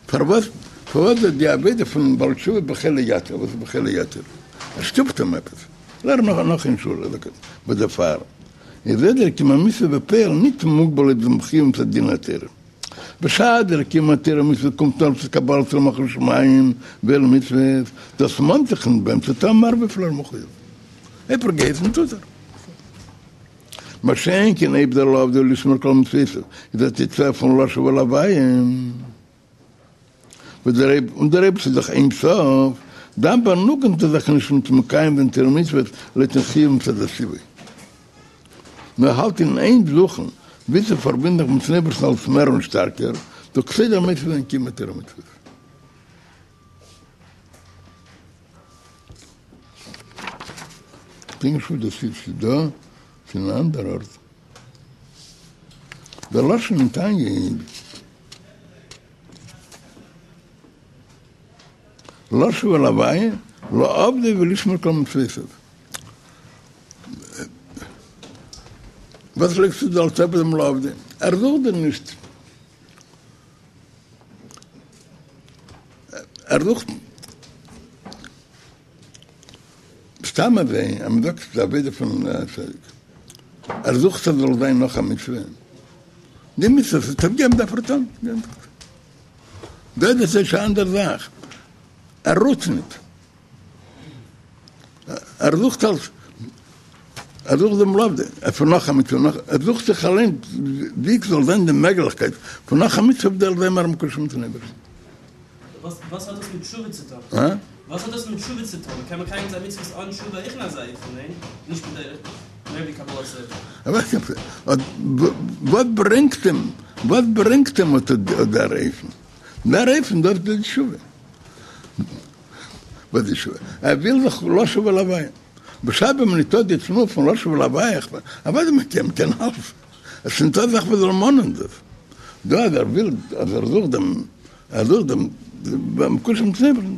פארוואס פארוואס איז די עבודה פון בעל תשובה בחיל יתיר? וואס איז בחיל יתיר? ער שטופט אים עפעס. לערן נאך נאך אין שולע, וואס דערפאר איז דער קיום המצוה בפועל ניט מוגבל לויט דעם חיוב מצד דין התורה. בשעת דער קיום התורה ומצוות קומט נאר צו קבלת עול מלכות שמים ועול מצוות, דאס מאנט זיך ניט ביי אים צו טאן מער וויפיל ער מחויב. אויב ער געהייסן טוט ער. מה שאין כן אויב דער לעבדו ולשמור כל מצוותיו איז א תוצאה פון לשוב אל הוויה. וואס דער אייב און דער אייבערשטער איז דאך אין סוף, דאן באנוגנט ער זיך נישט מיט מקיים זיין תורה ומצוות לויטן חיוב מצד הציווי, נאר האלט אין איין זוכן ווי צו פארבינדן זיך מיטן אייבערשטן אלץ מער און שטארקער, דורך כסדר מוסיף זיין קיום התורה ומצוות. כ'דענק נישט וואו דאס איז, ס'איז דא, ס'איז אין אן אנדער ארט. דער לשון אין תניא איז. לשוב אל הוויה, לעבדו ולשמור כל מצוותיו. וואס לייגסטו דא אלץ אפ דעם לעבדו? ער זוכט דיר נישט. ער זוכט סתם אזוי, אז מ'זאגט ס'איז די עבודה פון א צדיק. ער זוכט אז זאל זיין נאך א מצוה. די מצוה וואס האט געגעבן דארף ער טון. דא איז עס א אנדערע זאך. ער רוט ניט. ער זוכט אלס, ער זוכט דעם לעבדו, פון נאך א מצוה, נאך, ער זוכט זיך אליין ווי ס'זאל זיין די מעגליכקייט פון נאך א מצוה זאל זיין מער מקושר מיטן אייבערשטן. וואס האט דאס מיט תשובה צו טון? וואס האט דאס מיט תשובה צו טון? מ'קען מקיים זיין מצוות אן תשובה אויך אין אזא אופן, ניין? נישט בדרך מער ווי קבלת עול. וואס ברענגט אים, וואס ברענגט אים אט דער אופן? דער אופן דאס איז די תשובה. וואס איז תשובה? ער וויל זיך לשוב אל הוויה. בשעת ווען מען ניטא די תנועה פון לשוב אל הוויה, אוודאי מען קען, מען קען אלעס. עס איז ניטא זאך וואס זאל מאנען דאס. דא אז ער וויל, אז ער זוכט דעם, ער זוכט דעם, מקושר מיטן אייבערשטן.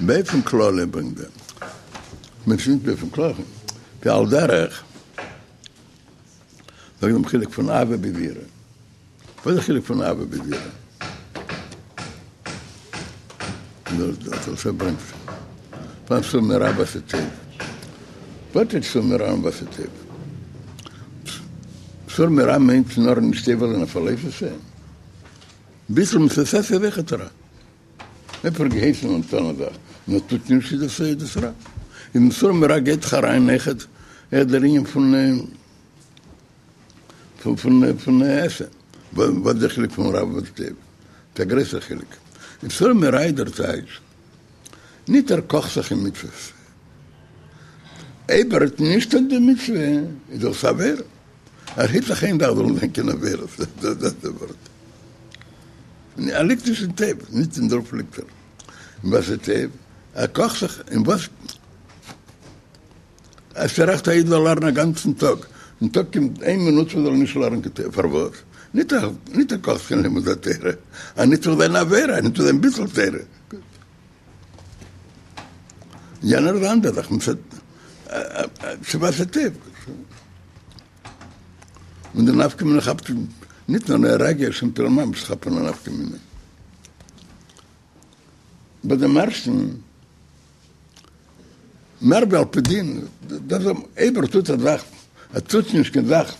באופן כללי ברענגט ער, מען פינט באופן כללי, ועל דרך, זאגט דעם חילוק פון אהבה ביז יראה. וואס איז די חילוק פון אהבה ביז יראה? דאס ברענגט פון סור מרע ועשה טוב. וואס איז סור מרע און ועשה טוב? סור מרע מיינט נאר נישט עובר זיין אויף א לא תעשה. ביטול מצות עשה איז אויכעט רע. אויב ער געהייסן און טון א זאך און ער טוט נישט איז דאס איז דאס רע. אין סור מרע גייט דאך אריין אויכעט דער ענין פון פון פון פון עשה. וואס איז דער חילוק פון רע ועשה טוב? ס'איז א גרויסער חילוק. אין סור מרע איז דער טייטש, ניט ער קאכט זיך אין מצוות. אויב ער האט נישט אט די מצוה, איז דאס עבירה. ער היט זיך איין זאך זאל נישט זיין קיין עבירות, דאס איז דער ווארט. ער ליגט נישט אין טוב, נישט אין דערויף ליגט ער. אין ועשה טוב, ער קאכט זיך אין וואס. עס איז רעכט א איד זאל לערנען א גאנצן טאג, און טאג קומט איין מינוט וואס זאל ער נישט לערנען קיין תורה, פארוואס? ניט ער ניט ער קאכט זיך אין לימוד התורה, אז ניט זאל זיין עבירה, ניט זאל זיין ביטול תורה. גוט. יענער איז אנדער זאך, ס'איז ועשה טוב. און די נפקא מינה כאפט ניט נאר א רגע, שוין פועל ממש כאפן א נפקא מינה. ביי דעם ערשטן. מער ווי על פי דין, דאס אויב ער טוט א זאך ער טוט נישט קיין זאך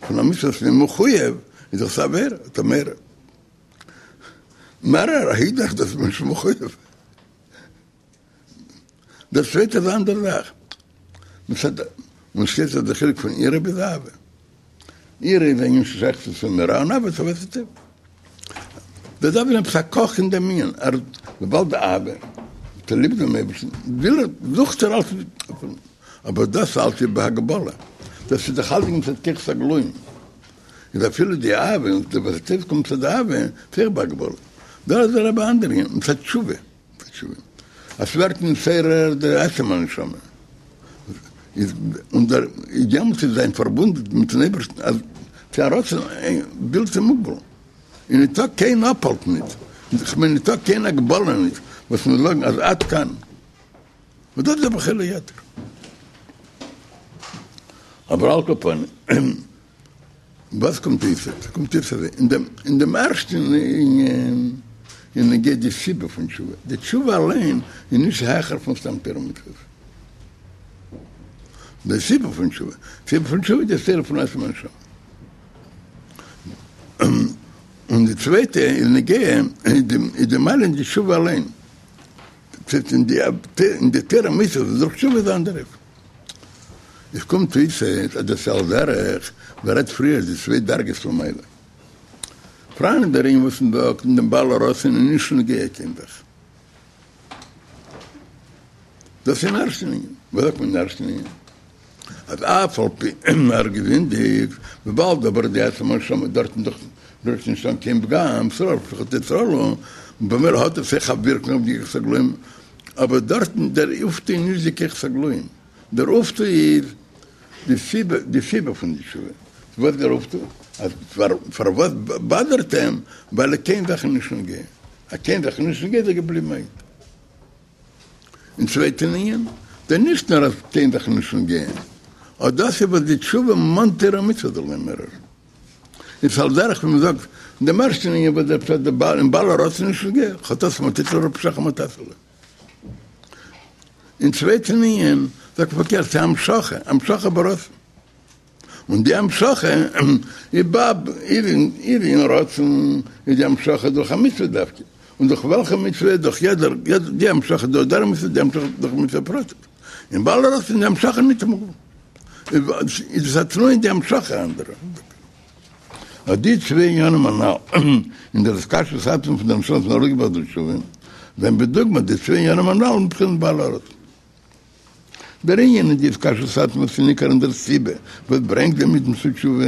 פון א מצוה וואס איז מחויב, איז דאך עס א עבירה, האט מעורר. מעורר, איז דאך דאס נישט מחויב. דאס צווייטע איז א אנדערע זאך. מצד און שטייט אז דער חילוק פון יראה ביז אהבה. יראה איז א ענין ששייך צו צו מיראה און אהבה צו אהבת הטוב. דאס דארף זיין עפעס א קאך אין דעם ענין, ער וויבאלד די אהבה, האט ער ליב דעם אייבערשטן, וויל ער, זוכט ער אלץ, אבער דאס אלץ איז בהגבלה, דאס איז דאך אלץ מצד כוחות הגלויים, איז אפילו די אהבה און די אהבת הטוב קומט מצד אהבה, איז אויך בהגבלה. דא איז דער רבי אנדער ענין, מצד תשובה. תשובה. אז ס'ווערט נתעורר דער עצם הנשמה, איז און דער יעמאלטס איז זיין פארבונד מיטן אייבערשטן אז ס'איז א רצון בלתי מוגבל, און ניטא קיין אפהאלט ניט, כ'מיין ניטא קיין הגבלה ניט וואס מ'זאל זאגן אז עד כאן, און דאס איז דער בחיל היתר. אבער על כל פנים. וואס קומט אויס? קומט אויס אזוי, אין דעם אין דעם ערשטן ענין איז נוגע די סיבה פון תשובה, די תשובה אליין איז נישט העכער פון סתם תורה ומצוות. די סיבה פון תשובה, סיבה פון תשובה איז די התעוררות פון עצם הנשמה. און די צווייטע איז נוגע איז די מעלה אין די תשובה אליין. אין די אין די תורה ומצוות דורך תשובה איז אנדערע. עס קומט אויס אז דאס על דרך ווי ער רעדט פריער די צוויי דרגות פון מעלה. פראן דער ענין וואס מען זאגט אין דעם בעל הרצון איז נישט נוגע קיין זאך. דאס אין ערשטן ענין. וואס זאגט מען אין ערשטן ענין? אז אף על פי ער האט געזינדיגט, וויבאלד אבער די עצם הנשמה דארטן דאך רירט נישט אן קיין פגם, סרול פחד תסרולו, במילא האט עס אויך א ווירקונג אויף די כוחות הגלויים, אבער דארטן דער אויפטו איז נישט די כוחות הגלויים, דער אויפטו איז די סיבה, די סיבה פון די תשובה, וואס דער אויפטו? אז פארוואס באדערט אים? ווייל קיין זאך איז נישט נוגע, אז קיין זאך איז נישט נוגע איז ער געבליבן א איד. אין צווייטן ענין, דער נישט נאר אז קיין זאך איז נישט נוגע, אט דאס איז וואס די תשובה מאנט תורה ומצוות זאל אים מעורר. איז על דרך ווי מ'זאגט אין דעם ערשטן ענין וואס דער פשט דער בעל אין בעל הרצון נישט נוגע, חטאת מה תיתן לו פשעיך מה תעשה לו. אין צווייטן ענין זאגט מען פארקערט ס'איז המשכה, המשכה ברצון. און די המשכה איז בא איז אין רצון איז די המשכה דורך א מצוה דווקא, און דורך וועלכע מצוה דורך יעדער די המשכה דורך דער מצוה די המשכה דורך מצוה פרטית, אין בעל הרצון די המשכה ניט מוגבל איז עס א תנועה אין די המשכה אנדערע. אט די צוויי עניינים הנ"ל אין דער התקשרות עצמית פון דער נשמה וואס איז ארויסגעבראכט דורך תשובה, זענען בדוגמא די צוויי עניינים הנ"ל מבחינת בעל הרצון. דער ענין אין די התקשרות עצמית איז ניכר אין דער סיבה וואס ברענגט דעם אידן צו תשובה,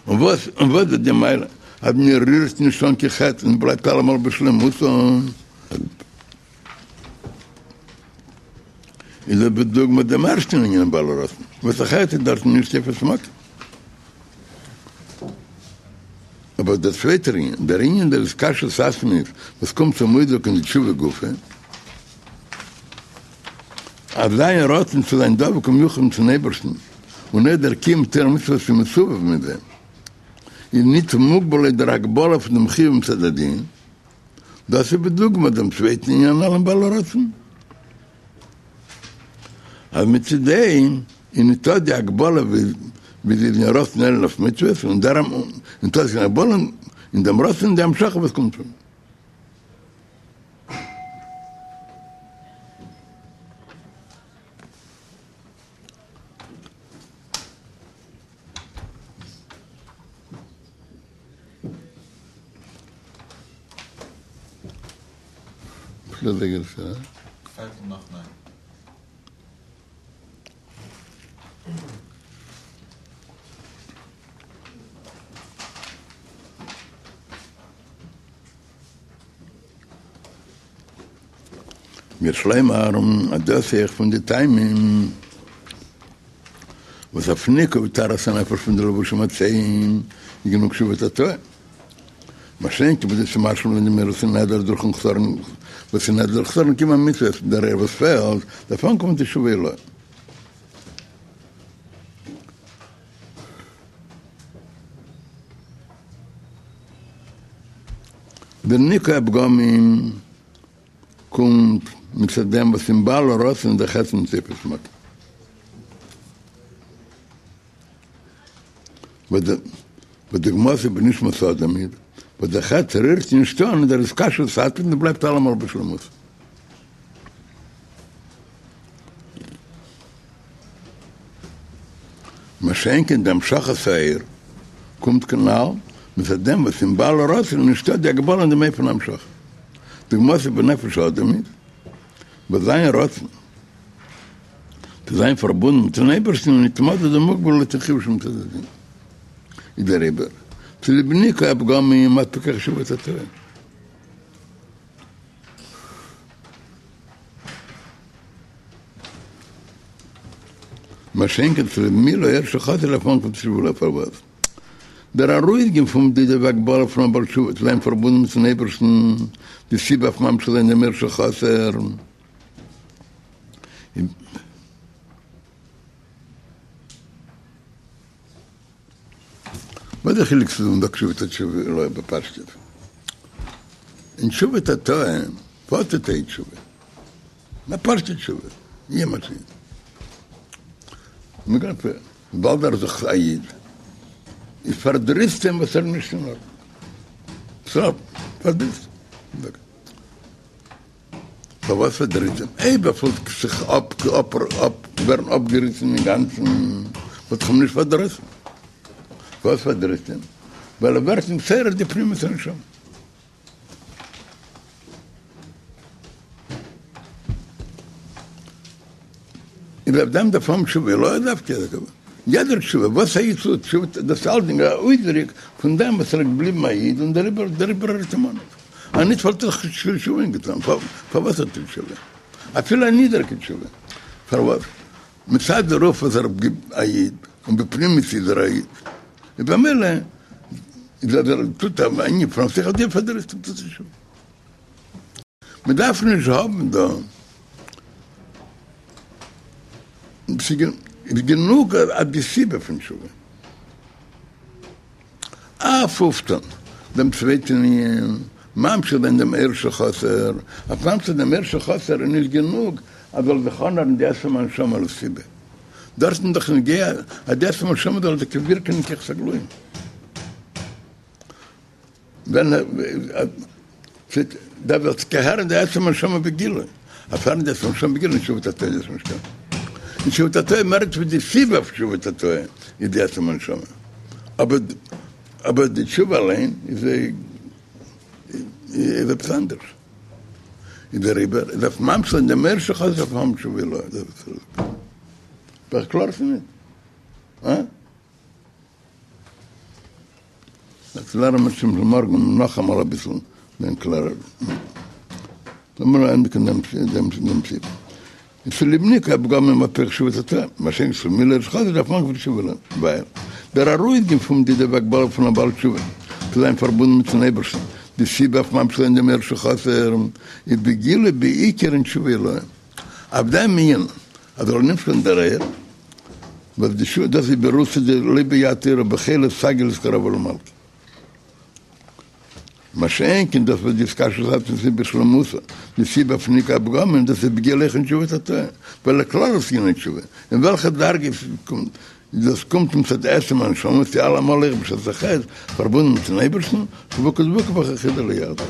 און וואס און וואס איז די מעלה אז מען רירט נישט אן קיין חטא און בלייבט אלעמאל בשלימותו, איז דאס בדוגמא דעם ערשטן ענין אין בעל הרצון, וואס א חטא איז דארטן נישט תופס מקום. אבער דער צווייטער ענין, דער ענין דער התקשרות עצמית וואס קומט צום אויסדרוק אין די תשובה גופא, אז זיין רצון צו זיין דבוק ומיוחד מיטן אייבערשטן און אויך דער קיום תורה ומצוות וואס איז מסובב מיט דעם, איז ניט מוגבל לויט דער הגבלה פון דעם חיוב מצד הדין. דאס איז בדוגמא דעם צווייטן ענין הנ"ל אין בעל הרצון. אז מצדו איז ניטא די הגבלה ווי זי איז אין רצון עליון אויף מצוות, און דערום ניטא קיין הגבלה אין דעם רצון און די המשכה וואס קומט פון. פערטל נאך ניין. ויש לומר אז דאס איז אויך פון די טעמים וואס אויף ניקוי וטהרת הנפש פון די לבושים הצואים איז גענוג תשובה תתאה. מה שאין כן בכדי צו משלים זיין דעם אור וואס איז נעדר דורכן חסרון וואס איז נעדר דורך חסרון קיום המצוות דער אור וואס פעלט דארף אנקומען צו תשובה עילאה. דער ניקוי הפגמים קומט מצד דעם וואס אין בעל הרצון איז דער חטא ניט תופס מקום. בדוגמתו בנשמת האדם איז, וואס דער חטא רירט נישט אן דער התקשרות עצמית און בלייבט אלעמאל בשלמות. מה שאין כן די המשכת האור קומט כנ"ל מצד דעם וואס אין בעל הרצון נישטא די הגבלה אין דעם אופן ההמשכה. דוגמתו בנפש האדם איז, וואס זיין רצון צו זיין פארבונדן מיטן אייבערשטן איז ניט מדוד ומוגבל לויטן חיוב שמצד הדין. איז דעריבער צוליב ניקוי הפגמים איז פוקח תשובה תתאה. מה שאין כן צוליב מילוי אור שחסר דארף אנקומען צו תשובה עילאה פארוואס דער ארויסגיין פון מדידה והגבלה פון א בעל תשובה צו זיין פארבונדן מיטן אייבערשטן די סיבה אויף ממשיך זיין דעם אור שחסר וואס איז די חילוק צו זאגן תשובה תשובה עילאה בפשטות? אין תשובה תתאה, וואס טוט א תשובה? א פשוטע תשובה, יעמאלט איז מ'גייט וויבאלד ער איז דאך א איד, איז פארדריסט אים וואס ער איז נישט אין ארדענונג. ס'איז פארדריסט אים. פארוואס פארדריסט אים? אויב ער פילט זיך אפ אפ אפ ווערן אפגעריסן אינגאנצן, וואלט איך אים נישט פארדראסן. פארוואס פארדריסט אים? ווייל ער ווערט נתעורר די פנימיות הנשמה. איז אויף דעם דארף האבן תשובה, לאו דווקא יעדער תשובה, וואס א איד טוט, תשובה, דאס איז אלסדינג א אויסדרוק פון דעם וואס ער איז געבליבן א איד און דעריבער דעריבער ער האט אים אנ. אניט וואלט ער נישט תשובה געטאן, פארוואס האט ער תשובה? אפילו א נידעריגע תשובה, פארוואס? מצד דערויף וואס ער איז א איד, און בפנימיות איז ער א איד, איז במילא איז אז ער טוט א ענין פון זיך אויף דעם פארדריסט אים צו תשובה. מען דארף נישט האבן דא, ס'איז גענוג אז די סיבה פון תשובה. אויף אויפטון דעם צווייטן ענין, ממשיך זיין דעם אור שחסר, אויף ממשיך דעם אור שחסר איז נישט גענוג אז זאל זיך אנהערן די עצם הנשמה לסיבה, דארט איז דאך נוגע אז די עצם הנשמה זאל טאקע ווירקען אין כוחות הגלויים. ווען דארף זיך טאקע הערן די עצם הנשמה בגילוי, אויף הערן די עצם הנשמה בגילוי אין תשובה תתאה איז דאס נישט קיין אין תשובה תתאה מער נישט ווי די סיבה אויף תשובה תתאה איז די עצם הנשמה, אבער אבער די תשובה אליין איז איז עפעס אנדערש, איז דעריבער איז אויף ממשיך זיין דעם אור שחסר דארף מען האבן תשובה עילאה, דאס איז דאך קלאר צו נישט? הא? דאס לערנען מיר שוין מארגן נאכאמאל אביסל מער קלארער. לאמיר ענדיגן דעם דעם דעם סעיף. איז צוליב ניקוי הפגמים איז פוקח תשובה תתאה, מה שאין כן מילוי אור שחסר דארף מען תשובה עילאה, ווייל דער ארויסגיין פון מדידה והגבלה פון א בעל תשובה צו זיין פארבונדן מיטן אייבערשטן, די סיבה אויף ממשיך זיין דעם אור שחסר איז בגילוי בעיקר אין תשובה עילאה. אויף דעם ענין אז זאל נמשך ווערן דער אור, וואס די שו דאס איז ברותא דלא ביד תורה בחילא סגי לאתקרבא למלכא. מה שאין כן דאס וואס די התקשרות עצמית איז בשלמותה, די סיבה פון ניקוי הפגמים דאס איז בגילוי אויך אין תשובה תתאה, ווייל לכללות ענין התשובה, אין וועלכע דרגה עס קומט, דאס קומט מצד עצם הנשמה, צו אלעמאל אויך בשעת החטא, פארבונדן מיטן אייבערשטן, חבוקה דבוקה בך אחידה ליחדך.